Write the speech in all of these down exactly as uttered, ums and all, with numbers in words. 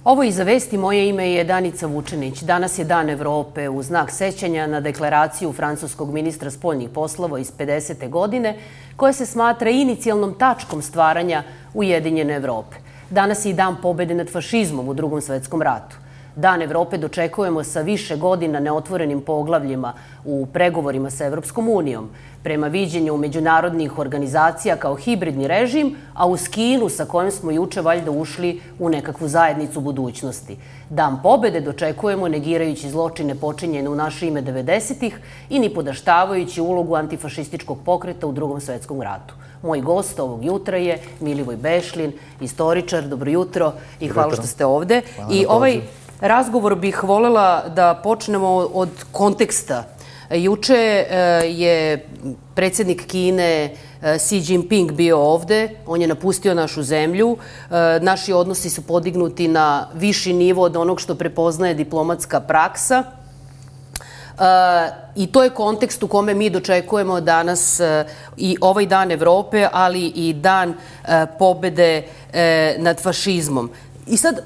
Ovo iza vesti, moje ime je Danica Vučenić. Danas je Dan Evrope u znak sećanja na deklaraciju francuskog ministra spoljnih poslova iz pedesete godine, koja se smatra inicijalnom tačkom stvaranja Ujedinjene Evrope. Danas je i Dan pobede nad fašizmom u Drugom svetskom ratu. Dan Evrope dočekujemo sa više godina neotvorenim poglavljima u pregovorima sa Evropskom unijom, prema viđenju međunarodnih organizacija kao hibridni režim, a uz Kinu sa kojom smo juče valjda ušli u nekakvu zajednicu budućnosti. Dan pobede dočekujemo negirajući zločine počinjene u naše ime devedesetih i nipodaštavajući ulogu antifašističkog pokreta u Drugom svetskom ratu. Moj gost ovog jutra je Milivoj Bešlin, istoričar. Dobro jutro i hvala što ste ovde. I ovaj razgovor bih volela da počnemo od konteksta. Juče je predsjednik Kine Xi Jinping bio ovde, on je napustio našu zemlju, naši odnosi su podignuti na viši nivo od onog što prepoznaje diplomatska praksa i to je kontekst u kome mi dočekujemo danas i ovaj Dan Evrope, ali i Dan pobede nad fašizmom. I sad,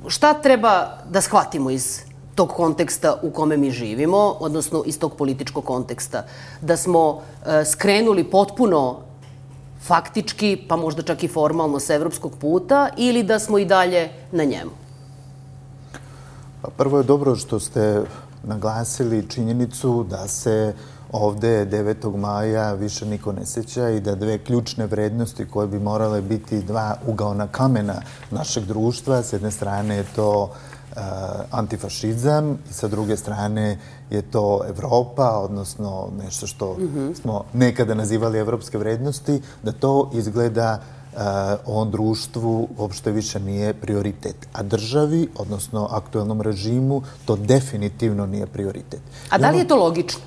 šta treba da shvatimo iz tog konteksta u kome mi živimo, odnosno iz tog političkog konteksta? Da smo skrenuli potpuno faktički, pa možda čak i formalno sa evropskog puta, ili da smo i dalje na njemu? Prvo je dobro što ste naglasili činjenicu da se ovde devetog maja više niko ne seća i da dve ključne vrednosti koje bi morale biti dva ugaona kamena našeg društva, s jedne strane je to antifašizam i sa druge strane je to Evropa, odnosno nešto što smo nekada nazivali evropske vrednosti, da to izgleda ovom društvu uopšte više nije prioritet. A državi, odnosno aktuelnom režimu, to definitivno nije prioritet. A da li je to logično?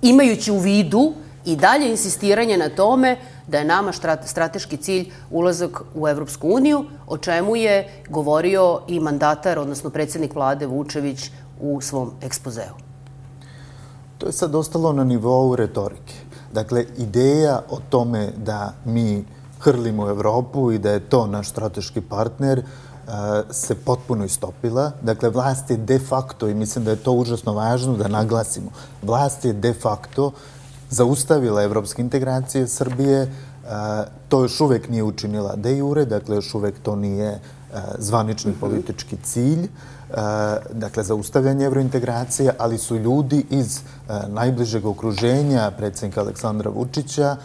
Imajući u vidu i dalje insistiranje na tome da je nama strateški cilj ulazak u Evropsku uniju, o čemu je govorio i mandatar, odnosno predsjednik vlade Vučević u svom ekspozeu. To je sad ostalo na nivou retorike. Dakle, ideja o tome da mi hrlimo Evropu i da je to naš strateški partner se potpuno istopila. Dakle, vlast je de facto, i mislim da je to užasno važno da naglasimo, vlast je de facto zaustavila evropske integracije Srbije. To još uvek nije učinila de jure, dakle još uvek to nije zvanični politički cilj, dakle zaustavljanje evrointegracije, ali su ljudi iz najbližeg okruženja predsjednika Aleksandra Vučića,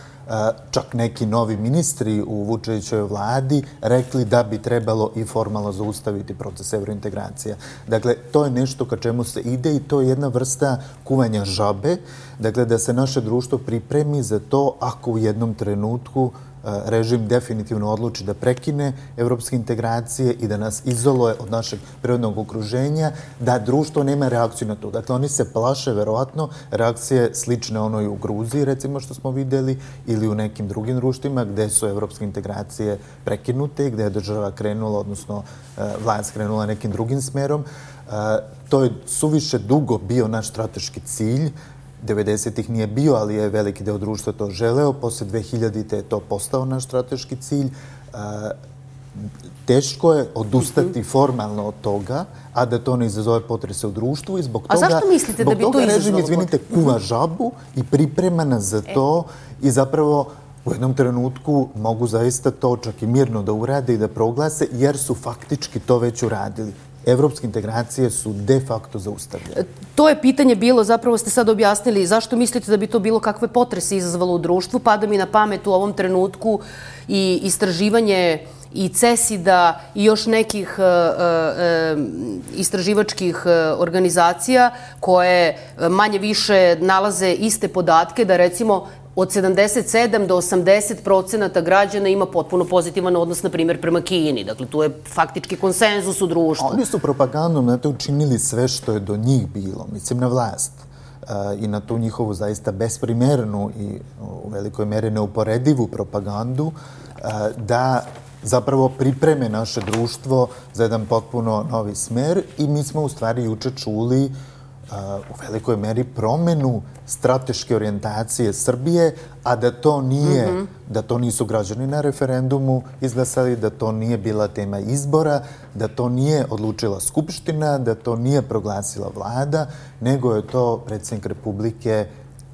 čak neki novi ministri u Vučevićevoj vladi, rekli da bi trebalo i formalno zaustaviti proces evrointegracija. Dakle, to je nešto ka čemu se ide i to je jedna vrsta kuvanja žabe, dakle da se naše društvo pripremi za to ako u jednom trenutku režim definitivno odluči da prekine evropske integracije i da nas izoluje od našeg prirodnog okruženja, da društvo nema reakciju na to. Dakle, oni se plaše, verovatno, reakcije slične onoj u Gruziji, recimo što smo videli, ili u nekim drugim društvima gde su evropske integracije prekinute, gde je država krenula, odnosno vlast krenula nekim drugim smerom. To je suviše dugo bio naš strateški cilj. devedesetih nije bio, ali je veliki deo društva to želeo. Posle dve hiljadite je to postao naš strateški cilj. Teško je odustati formalno od toga, a da to ne izazove potrese u društvu i zbog toga... A zašto mislite da bi to izazvalo? Režim, izvinite, kuva žabu i priprema nas za to i zapravo u jednom trenutku mogu zaista to čak i mirno da urade i da proglase, jer su faktički to već uradili. Evropske integracije su de facto zaustavljene. To je pitanje bilo, zapravo ste sad objasnili, zašto mislite da bi to bilo kakve potrese izazvalo u društvu? Pada mi na pamet u ovom trenutku i istraživanje i CESID-a i još nekih istraživačkih organizacija koje manje više nalaze iste podatke da recimo od sedamdeset sedam do osamdeset procenata građana ima potpuno pozitivan odnos, na primjer, prema Kini. Dakle, tu je faktički konsenzus u društvu. Oni su propagandom na to učinili sve što je do njih bilo, mislim na vlast, i na tu njihovu zaista besprimernu i u velikoj meri neuporedivu propagandu, da zapravo pripreme naše društvo za jedan potpuno novi smer i mi smo u stvari juče čuli u velikoj meri promenu strateške orijentacije Srbije, a da to nije, mm-hmm. da to nisu građani na referendumu izglasali, da to nije bila tema izbora, da to nije odlučila Skupština, da to nije proglasila vlada, nego je to predsjednik Republike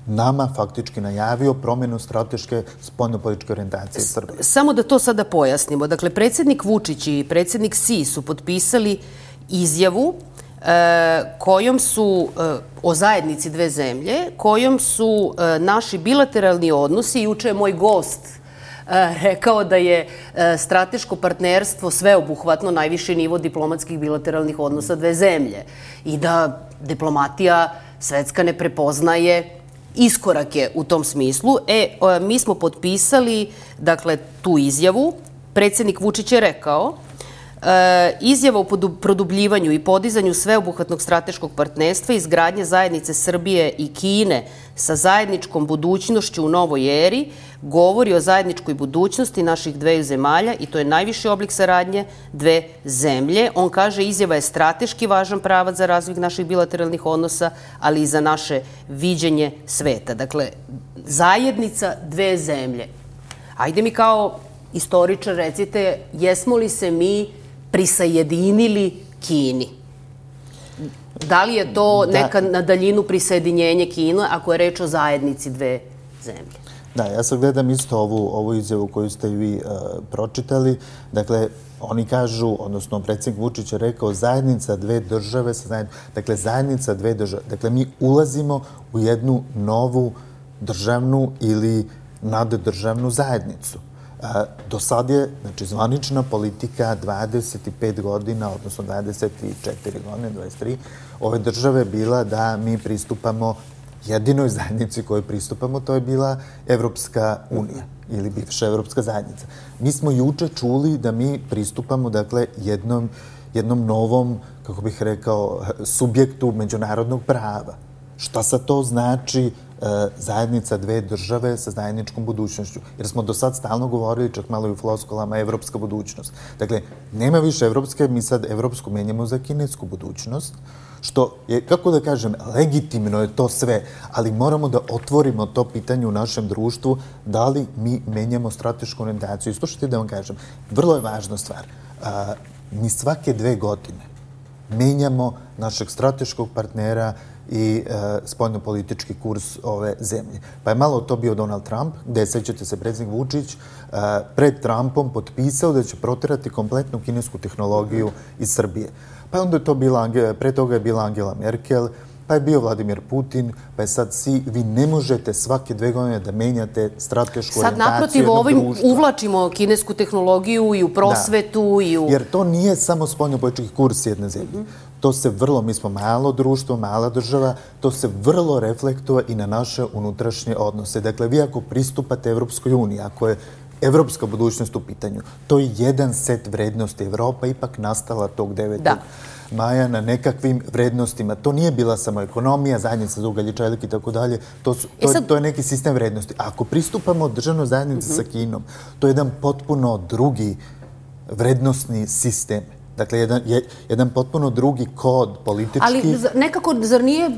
nama faktički najavio promjenu strateške spoljnopolitičke orijentacije Srbije. Samo da to sada pojasnimo. Dakle, predsjednik Vučić i predsjednik Si su potpisali izjavu kojom su, o zajednici dve zemlje, kojom su naši bilateralni odnosi, juče je moj gost rekao da je strateško partnerstvo sveobuhvatno najviši nivo diplomatskih bilateralnih odnosa dve zemlje i da diplomatija svetska ne prepoznaje iskorake u tom smislu. E, mi smo potpisali, dakle, tu izjavu. Predsjednik Vučić je rekao izjava o produbljivanju i podizanju sveobuhvatnog strateškog partnerstva i izgradnje zajednice Srbije i Kine sa zajedničkom budućnošću u novoj eri govori o zajedničkoj budućnosti naših dveju zemalja i to je najviši oblik saradnje dve zemlje. On kaže izjava je strateški važan pravac za razvoj naših bilateralnih odnosa, ali i za naše viđenje sveta. Dakle, zajednica dve zemlje. Ajde mi kao istoričar recite, jesmo li se mi prisajedinili Kini? Da li je to neka na daljinu prisajedinjenje Kine ako je reč o zajednici dve zemlje? Da, ja sad gledam isto ovu, ovu izjavu koju ste i vi uh, pročitali. Dakle, oni kažu, odnosno predsjednik Vučić je rekao zajednica dve države, sa zajedn... dakle, zajednica dve države. Dakle, mi ulazimo u jednu novu državnu ili naddržavnu zajednicu. Do sad je, znači, zvanična politika dvadeset pet godina, odnosno dvadeset četiri godine, dvadeset tri, ove države bila da mi pristupamo jedinoj zajednici kojoj pristupamo, to je bila Evropska unija ili bivša Evropska zajednica. Mi smo juče čuli da mi pristupamo, dakle, jednom, jednom novom, kako bih rekao, subjektu međunarodnog prava. Šta sad to znači zajednica dve države sa zajedničkom budućnošću? Jer smo do sad stalno govorili, čak malo i u floskulama, evropska budućnost. Dakle, nema više evropske, mi sad evropsku menjamo za kinesku budućnost, što je, kako da kažem, legitimno je to sve, ali moramo da otvorimo to pitanje u našem društvu, da li mi menjamo stratešku orijentaciju. I slušajte da vam kažem, vrlo je važna stvar. A, mi svake dve godine menjamo našeg strateškog partnera i e, spoljnopolitički kurs ove zemlje. Pa je malo to bio Donald Trump, gde, sećate se, predsjednik Vučić e, pred Trumpom potpisao da će proterati kompletnu kinesku tehnologiju iz Srbije. Pa onda je to bila, pre toga je bila Angela Merkel, pa je bio Vladimir Putin, pa je sad si, vi ne možete svake dve godine da menjate stratešku orijentaciju jednog društva. Sad naprotiv ovim uvlačimo kinesku tehnologiju i u prosvetu i u... Jer to nije samo spoljnopolitički kurs jedne zemlje. To se vrlo, mi smo malo društvo, mala država, to se vrlo reflektuje i na naše unutrašnje odnose. Dakle, vi ako pristupate Evropskoj uniji, ako je evropska budućnost u pitanju, to je jedan set vrednosti. Evropa ipak nastala tog devetog maja na nekakvim vrednostima. To nije bila samo ekonomija, zajednica za ugalj i čelik i tako dalje. To, su, to, sad... to je neki sistem vrednosti. A ako pristupamo državnoj zajednici mm-hmm. sa Kinom, to je jedan potpuno drugi vrednostni sistem. Dakle, jedan, jedan potpuno drugi kod politički. Ali nekako, zar nije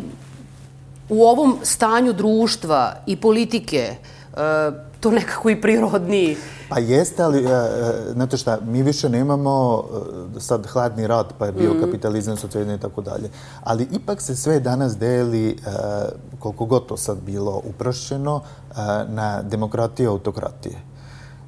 u ovom stanju društva i politike to nekako i prirodniji? Pa jeste, ali, znate šta, mi više nemamo sad hladni rat, pa je bio mm. kapitalizam, socijalizam i tako dalje. Ali ipak se sve danas deli, koliko god to sad bilo uprošćeno, na demokratiju i autokratije.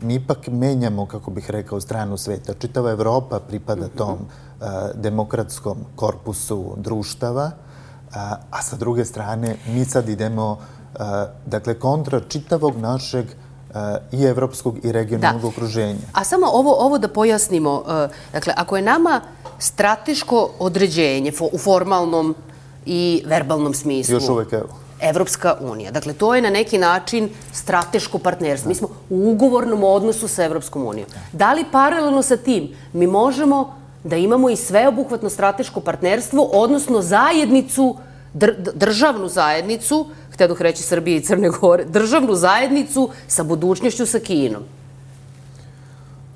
Mi ipak menjamo, kako bih rekao, stranu sveta. Čitava Evropa pripada tom uh, demokratskom korpusu društava, uh, a sa druge strane mi sad idemo uh, dakle, kontra čitavog našeg uh, i evropskog i regionalnog da. okruženja. A samo ovo, ovo da pojasnimo, uh, dakle, ako je nama strateško određenje fo, u formalnom i verbalnom smislu... Još uvek evo. Evropska unija. Dakle, to je na neki način strateško partnerstvo. Mi smo u ugovornom odnosu sa Evropskom unijom. Da li paralelno sa tim mi možemo da imamo i sveobuhvatno strateško partnerstvo, odnosno zajednicu, dr državnu zajednicu, htjedoh reći Srbije i Crne Gore, državnu zajednicu sa budućnošću sa Kinom?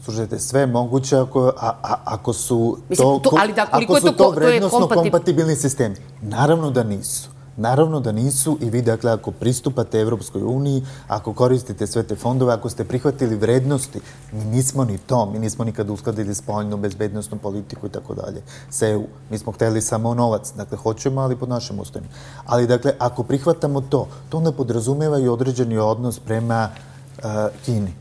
Slušajte, sve moguće ako, a, a, ako su Mislim, to, to, ali da, ako su to, to vrednostno kompatib... kompatibilni sistemi. Naravno da nisu. Naravno da nisu i vi, dakle, ako pristupate Evropskoj uniji, ako koristite sve te fondove, ako ste prihvatili vrednosti, mi nismo ni to, mi nismo nikad uskladili spoljnu, bezbednostnu politiku i tako dalje. S E U, mi smo hteli samo novac, dakle, hoćemo, ali pod našim ustojima. Ali, dakle, ako prihvatamo to, to onda podrazumeva i određeni odnos prema uh, Kini.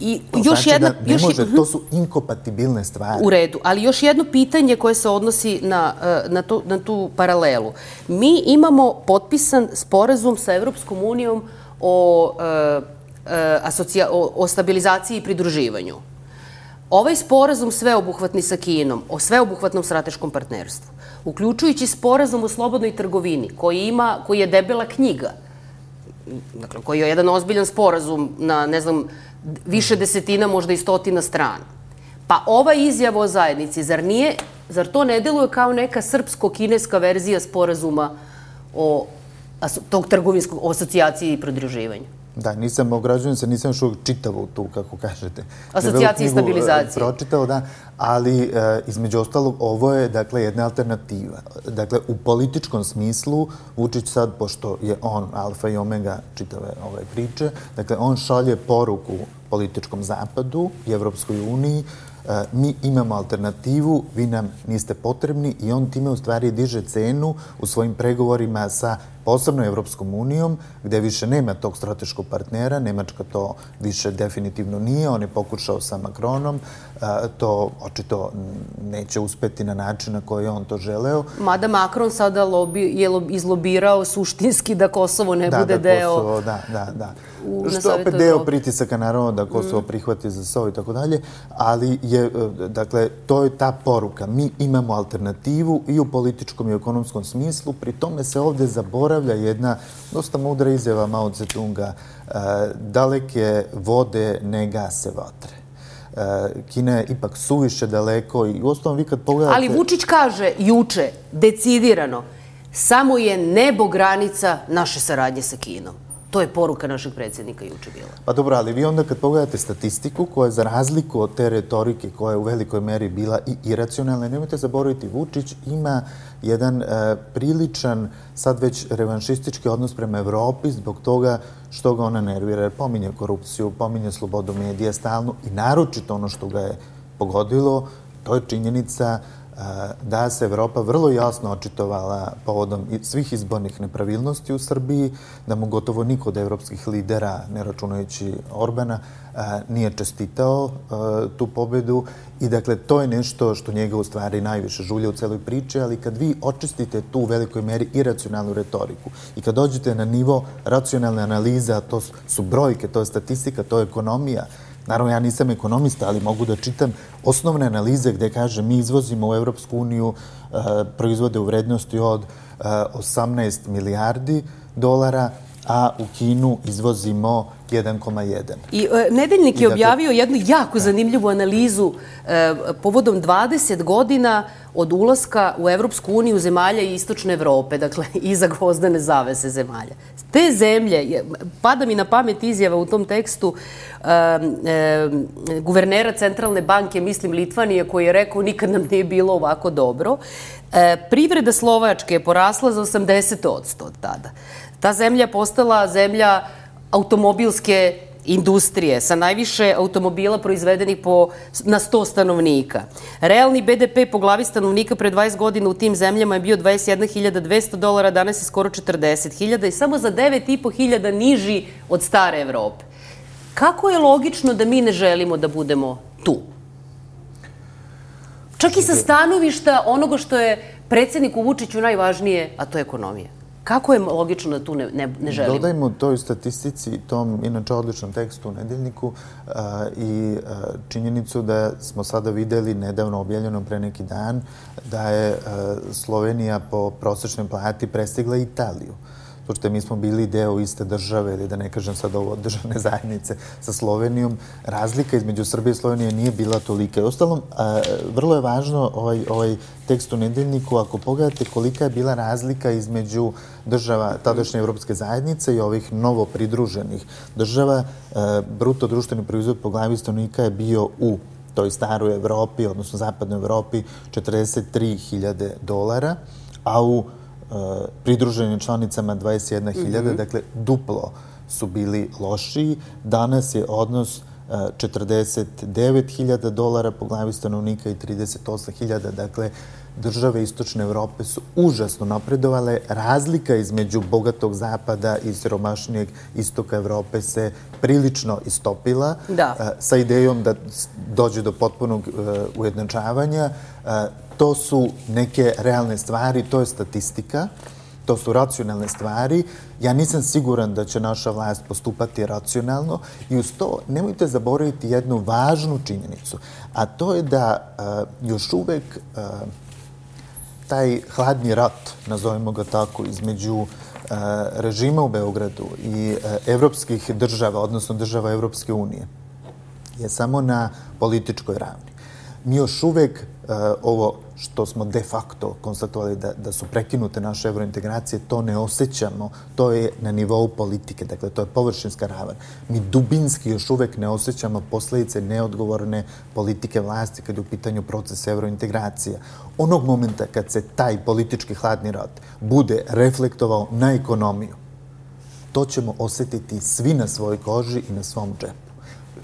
I to još znači jedna, da ne još, može, to su inkompatibilne stvari. U redu, ali još jedno pitanje koje se odnosi na, na, tu, na tu paralelu. Mi imamo potpisan sporazum sa Evropskom unijom o, asocija, o, o stabilizaciji i pridruživanju. Ovaj sporazum sveobuhvatni sa Kinom, o sveobuhvatnom strateškom partnerstvu, uključujući sporazum o slobodnoj trgovini, koji, ima, koji je debela knjiga, dakle, koji je jedan ozbiljan sporazum na, ne znam, više desetina, možda i stotina strana. Pa ova izjava o zajednici, zar nije, zar to ne deluje kao neka srpsko-kineska verzija sporazuma o tog trgovinskog, o asocijaciji i pridruživanju? Da, nisam, ograđujem se, nisam još uvijek čitao tu, kako kažete. Asocijacije i stabilizacije. Pročitao, da, ali e, između ostalog, ovo je, dakle, jedna alternativa. Dakle, u političkom smislu, Vučić sad, pošto je on alfa i omega čitave ove priče, dakle, on šalje poruku političkom zapadu i Evropskoj uniji, e, mi imamo alternativu, vi nam niste potrebni i on time u stvari diže cenu u svojim pregovorima sa posebno Evropskom unijom, gde više nema tog strateškog partnera. Nemačka to više definitivno nije. On je pokušao sa Macronom. To očito neće uspeti na način na koji je on to želeo. Mada Macron sada lobi, je izlobirao suštinski da Kosovo ne da, bude da, deo... Kosovo, da, da, da. U, Što je opet deo pritisaka, naravno, da Kosovo mm. prihvati za S O i tako dalje, ali je, dakle, to je ta poruka. Mi imamo alternativu i u političkom i u ekonomskom smislu. Pri tome se ovde zaboravlja jedna dosta mudra izjava Mao Tse-tunga. Daleke vode ne gase vatre. Kina je ipak suviše daleko i u osnovom vi kad pogledate... Ali Vučić kaže juče, decidirano, samo je nebo granica naše saradnje sa Kinom. To je poruka našeg predsjednika juče bila. Pa dobro, ali vi onda kad pogledate statistiku koja je za razliku od te retorike koja je u velikoj meri bila i iracionalna, nemojte zaboraviti, Vučić ima jedan e, priličan, sad već revanšistički odnos prema Evropi zbog toga što ga ona nervira. Pominje korupciju, pominje slobodu medija stalno i naročito ono što ga je pogodilo, to je činjenica da se Evropa vrlo jasno očitovala povodom svih izbornih nepravilnosti u Srbiji, da mu gotovo niko od evropskih lidera, ne računajući Orbana, nije čestitao tu pobedu i dakle to je nešto što njega u stvari najviše žulja u celoj priči, ali kad vi očistite tu u velikoj meri iracionalnu retoriku i kad dođete na nivo racionalne analize, a to su brojke, to je statistika, to je ekonomija. Naravno, ja nisam ekonomista, ali mogu da čitam osnovne analize gde kaže mi izvozimo u Evropsku uniju proizvode u vrednosti od osamnaest milijardi dolara, a u Kinu izvozimo jedan zarez jedan. I Nedeljnik je objavio jednu jako zanimljivu analizu povodom dvadeset godina od ulaska u Evropsku uniju zemalja i istočne Evrope, dakle iza gvozdene zavese zemalja. Te zemlje, pada mi na pamet izjava u tom tekstu guvernera Centralne banke, mislim Litvanije, koji je rekao nikad nam nije bilo ovako dobro. Privreda Slovačke je porasla za osamdeset posto od tada. Ta zemlja je postala zemlja automobilske industrije sa najviše automobila proizvedenih po, na sto stanovnika. Realni B D P po glavi stanovnika pre dvadeset godina u tim zemljama je bio dvadeset jedna hiljada dvesta dolara, danas je skoro četrdeset hiljada i samo za devet i po hiljada niži od stare Evrope. Kako je logično da mi ne želimo da budemo tu? Čak i sa stanovišta onoga što je predsjedniku Vučiću najvažnije, a to je ekonomija. Kako je logično da tu ne, ne, ne želimo? Dodajmo toj statistici, tom inače odličnom tekstu u Nedeljniku a, i a, činjenicu da smo sada videli nedavno objavljeno pre neki dan da je a, Slovenija po prosečnoj plati prestigla Italiju. pošto mi smo bili deo iste države, ili da ne kažem sad ovo državne zajednice sa Slovenijom, razlika između Srbije i Slovenije nije bila tolika. Ostalom, vrlo je važno ovaj, ovaj tekst u Nedeljniku, ako pogledate kolika je bila razlika između država tadašnje Evropske zajednice i ovih novo pridruženih država, bruto društveni proizvod po glavi stanovnika je bio u toj staroj Evropi, odnosno zapadnoj Evropi, četrdeset tri hiljade dolara, a u pridruženim članicama dvadeset jedna hiljada, dakle duplo su bili lošiji. Danas je odnos četrdeset devet hiljada dolara po glavi stanovnika i trideset osam hiljada, dakle države Istočne Evrope su užasno napredovale. Razlika između bogatog zapada i siromašnijeg istoka Evrope se prilično istopila sa idejom da dođe do potpunog ujednačavanja. To su neke realne stvari, to je statistika, to su racionalne stvari. Ja nisam siguran da će naša vlast postupati racionalno i uz to nemojte zaboraviti jednu važnu činjenicu, a to je da još uvek taj hladni rat, nazovimo ga tako, između režima u Beogradu i evropskih država, odnosno država Evropske unije, je samo na političkoj ravni. Mi još uvek ovo što smo de facto konstatovali da su prekinute naše evrointegracije, to ne osjećamo, to je na nivou politike, dakle to je površinska ravan. Mi dubinski još uvek ne osjećamo posledice neodgovorne politike vlasti kad je u pitanju proces evrointegracija. Onog momenta kad se taj politički hladni rat bude reflektovao na ekonomiju, to ćemo osjetiti svi na svojoj koži i na svom džepu.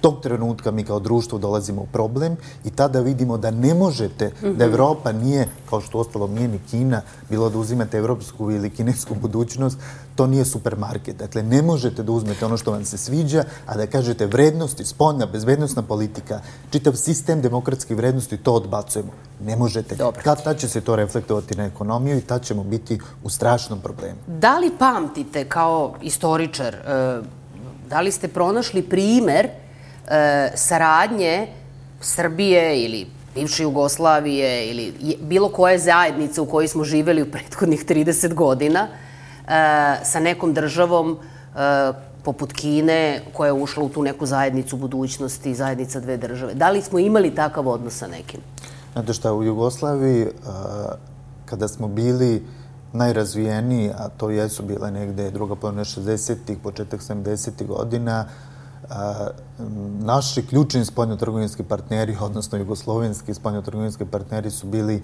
Tog trenutka mi kao društvo dolazimo u problem i tada vidimo da ne možete, da Evropa nije, kao što ostalo nije ni Kina, bilo da uzimate evropsku ili kinesku budućnost, to nije supermarket. Dakle, ne možete da uzmete ono što vam se sviđa, a da kažete vrednosti, spoljna, bezbednosna politika, čitav sistem demokratskih vrednosti, to odbacujemo. Ne možete. Kad tad će se to reflektovati na ekonomiju i tad ćemo biti u strašnom problemu. Da li pamtite kao istoričar, da li ste pronašli primer saradnje Srbije ili bivše Jugoslavije ili bilo koje zajednice u kojoj smo živeli u prethodnih trideset godina sa nekom državom poput Kine koja je ušla u tu neku zajednicu budućnosti, zajednica dve države? Da li smo imali takav odnos sa nekim? Znate šta, u Jugoslaviji kada smo bili najrazvijeniji, a to jesu bile negde druga polovina šezdesetih, početak sedamdesetih godina, naši ključni spoljnotrgovinski partneri, odnosno jugoslovenski spoljnotrgovinski partneri su bili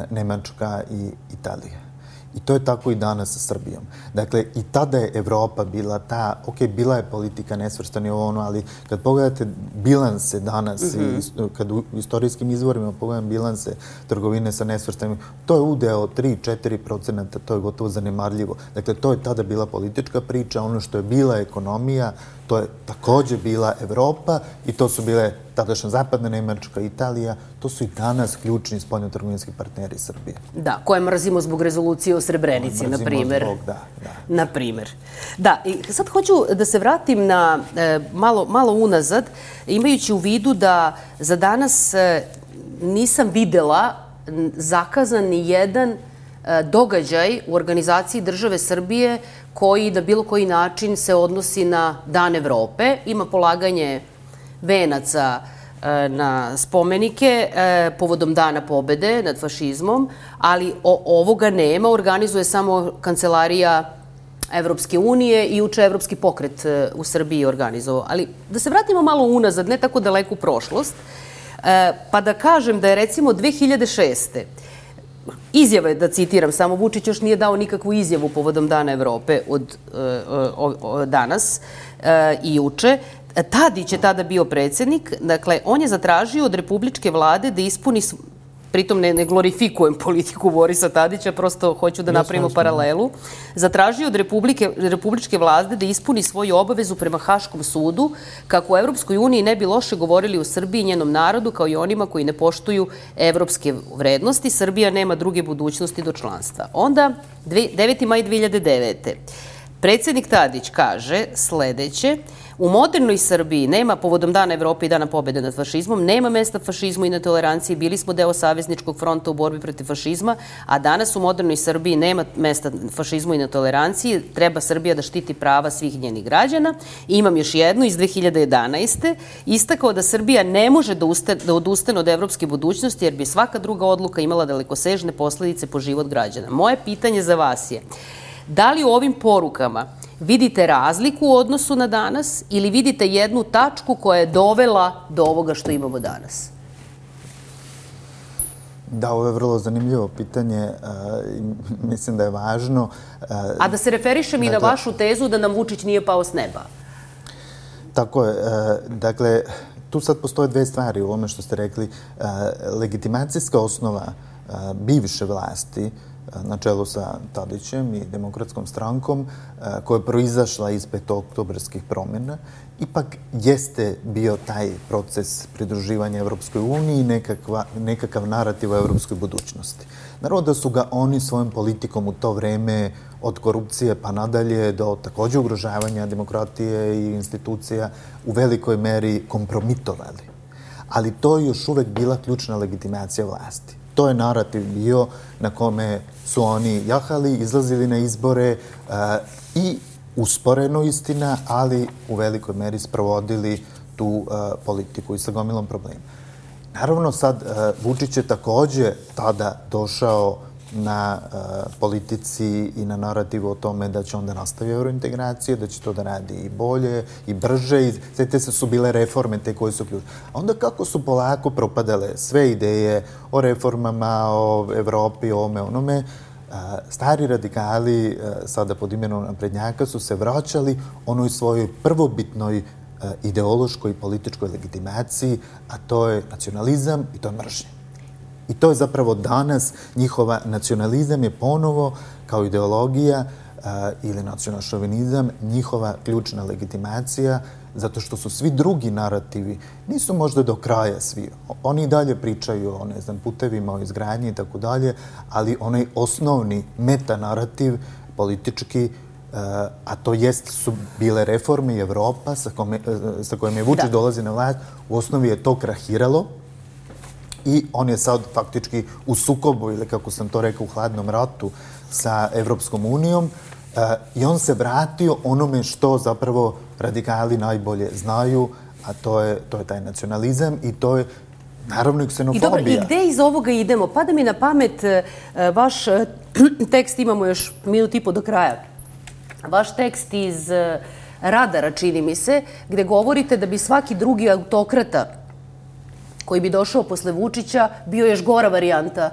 Nemačka i Italija. I to je tako i danas sa Srbijom. Dakle, i tada je Evropa bila ta, ok, bila je politika nesvrstani ovo ono, ali kad pogledate bilanse danas i kad u istorijskim izvorima pogledam bilanse trgovine sa nesvrstanim, to je udeo tri do četiri procenta, to je gotovo zanemarljivo. Dakle, to je tada bila politička priča, ono što je bila ekonomija, to je takođe bila Evropa i to su bile tadašnja zapadna Nemačka, Italija, to su i danas ključni spoljnotrgovinski partneri Srbije. Da, koje mrzimo zbog rezolucije o Srebrenici, na primer. Mrzimo zbog, da, da. Na primer. Da, i sad hoću da se vratim na malo unazad, imajući u vidu da za danas nisam videla zakazan ni jedan događaj u organizaciji države Srbije koji na bilo koji način se odnosi na Dan Evrope. Ima polaganje venaca na spomenike povodom Dana pobede nad fašizmom, ali ovoga nema, organizuje samo Kancelarija Evropske unije i juče Evropski pokret u Srbiji organizovao. Ali da se vratimo malo unazad, ne tako daleku prošlost, pa da kažem da je recimo dve hiljade šeste. Izjave, da citiram, samo Vučić još nije dao nikakvu izjavu povodom Dana Evrope od danas i juče. Tadić je tada bio predsjednik, dakle, on je zatražio od republičke vlade da ispuni, pritom ne glorifikujem politiku Borisa Tadića, prosto hoću da napravimo paralelu, zatražio od republičke vlade da ispuni svoju obavezu prema Haškom sudu, kako u Evropskoj uniji ne bi loše govorili o Srbiji i njenom narodu, kao i onima koji ne poštuju evropske vrednosti. Srbija nema druge budućnosti do članstva. Onda, deveti maj dve hiljade devete. Predsednik Tadić kaže sledeće: u modernoj Srbiji nema, povodom Dana Evrope i Dana pobede nad fašizmom, nema mesta fašizmu i netoleranciji. Bili smo deo savezničkog fronta u borbi protiv fašizma, a danas u modernoj Srbiji nema mesta fašizmu i netoleranciji. Treba Srbija da štiti prava svih njenih građana. I imam još jednu iz dve hiljade jedanaeste. Istakao da Srbija ne može da, uste, da odustane od evropske budućnosti, jer bi svaka druga odluka imala dalekosežne posledice po život građana. Moje pitanje za vas je: da li u ovim porukama vidite razliku u odnosu na danas ili vidite jednu tačku koja je dovela do ovoga što imamo danas? Da, ovo je vrlo zanimljivo pitanje. Mislim da je važno. A da se referišem i na vašu tezu da nam Vučić nije pao s neba. Tako je. Dakle, tu sad postoje dve stvari u ovome što ste rekli. Legitimacijska osnova bivše vlasti na čelu sa Tadićem i Demokratskom strankom, koja je proizašla iz petooktobarskih promjena, ipak jeste bio taj proces pridruživanja Evropskoj uniji i nekakav narativ o evropskoj budućnosti. Naravno da su ga oni svojom politikom u to vreme, od korupcije pa nadalje do takođe ugrožavanja demokratije i institucija, u velikoj meri kompromitovali. Ali to je još uvek bila ključna legitimacija vlasti. To je narativ bio na kome su oni jahali, izlazili na izbore i usporeno istina, ali u velikoj meri sprovodili tu politiku i sa gomilom problema. Naravno, sad Vučić je takođe tada došao na politici i na narativu o tome da će onda nastavi eurointegracije, da će to da radi i bolje i brže. Sve se su bile reforme te koje su ključne. A onda kako su polako propadale sve ideje o reformama, o Evropi, o ome, onome, stari radikali, sada pod imenom naprednjaka, su se vraćali onoj svojoj prvobitnoj ideološkoj i političkoj legitimaciji, a to je nacionalizam i to je mržnja. I to je zapravo danas njihova nacionalizam je ponovo kao ideologija ili nacionalšovinizam njihova ključna legitimacija, zato što su svi drugi narativi, nisu možda do kraja svi. Oni i dalje pričaju o, ne znam, putevima, o izgradnji i tako dalje, ali onaj osnovni metanarativ politički, a to jest su bile reforme i Evropa sa kojom je Vučić dolazi na vlast, u osnovi je to krahiralo. I on je sad faktički u sukobu, ili kako sam to rekao, u hladnom ratu sa Evropskom unijom, i on se vratio onome što zapravo radikali najbolje znaju, a to je, to je taj nacionalizam i to je naravno i ksenofobija. I dobro, i gde iz ovoga idemo? Pada mi na pamet vaš tekst, imamo još minut i po do kraja, vaš tekst iz Radara, čini mi se, gde govorite da bi svaki drugi autokrata koji bi došao posle Vučića, bio još gora varijanta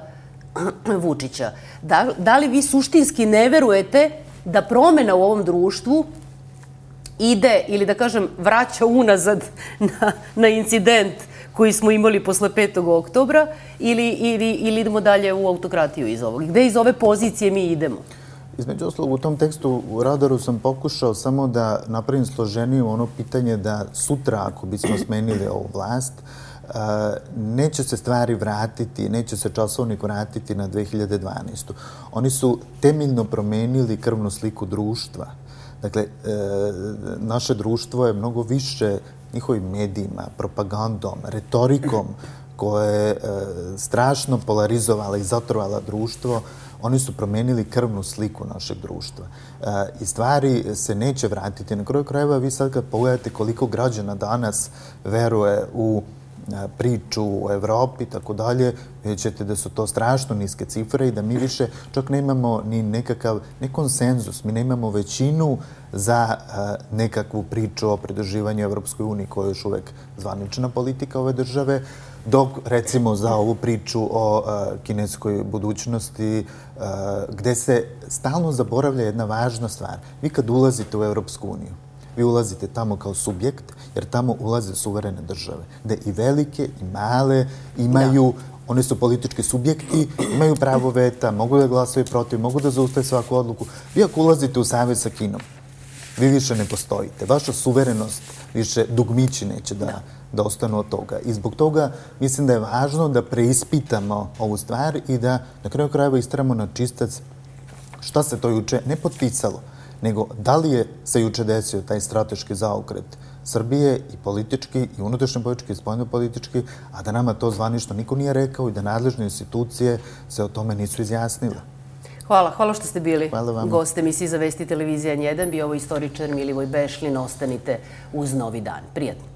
Vučića. Da, da li vi suštinski ne verujete da promena u ovom društvu ide, ili da kažem, vraća unazad na, na incident koji smo imali posle petog oktobra, ili, ili, ili idemo dalje u autokratiju iz ovog? Gde iz ove pozicije mi idemo? Između oslog, u tom tekstu u Radaru sam pokušao samo da napravim složeniju ono pitanje da sutra, ako bismo smenili ovu vlast, neće se stvari vratiti, neće se časovnik vratiti na dve hiljade dvanaestu. Oni su temeljno promenili krvnu sliku društva. Dakle, naše društvo je mnogo više njihovim medijima, propagandom, retorikom koja je strašno polarizovala i zatrovala društvo. Oni su promenili krvnu sliku našeg društva. I stvari se neće vratiti. Na kraju krajeva, vi sad kad pogledate koliko građana danas veruje u priču u Evropi i tako dalje, vidjet ćete da su to strašno niske cifre i da mi više čak nemamo ni nekakav, ne konsenzus, mi nemamo većinu za nekakvu priču o pridruživanju Evropskoj uniji, koja je još uvek zvanična politika ove države, dok recimo za ovu priču o kineskoj budućnosti, gde se stalno zaboravlja jedna važna stvar. Vi kad ulazite u Evropsku uniju, vi ulazite tamo kao subjekt, jer tamo ulaze suverene države, gde i velike i male imaju, one su politički subjekti, imaju pravo veta, mogu da glasaju protiv, mogu da zaustave svaku odluku. Vi ako ulazite u savez sa Kinom, vi više ne postojite. Vaša suverenost, više dugmići neće da, da ostanu od toga. I zbog toga mislim da je važno da preispitamo ovu stvar i da na kraju krajeva istramo na čistac šta se to juče ne potpisalo, nego da li je se juče desio taj strateški zaokret Srbije i politički, i unutrašnje politički, i spoljno politički, a da nama to zvanično niko nije rekao i da nadležne institucije se o tome nisu izjasnile. Hvala, hvala što ste bili gost emisiji za Vesti televizija N jedan. Bio ovo istoričar Milivoj Bešlin. Ostanite uz Novi dan. Prijatno.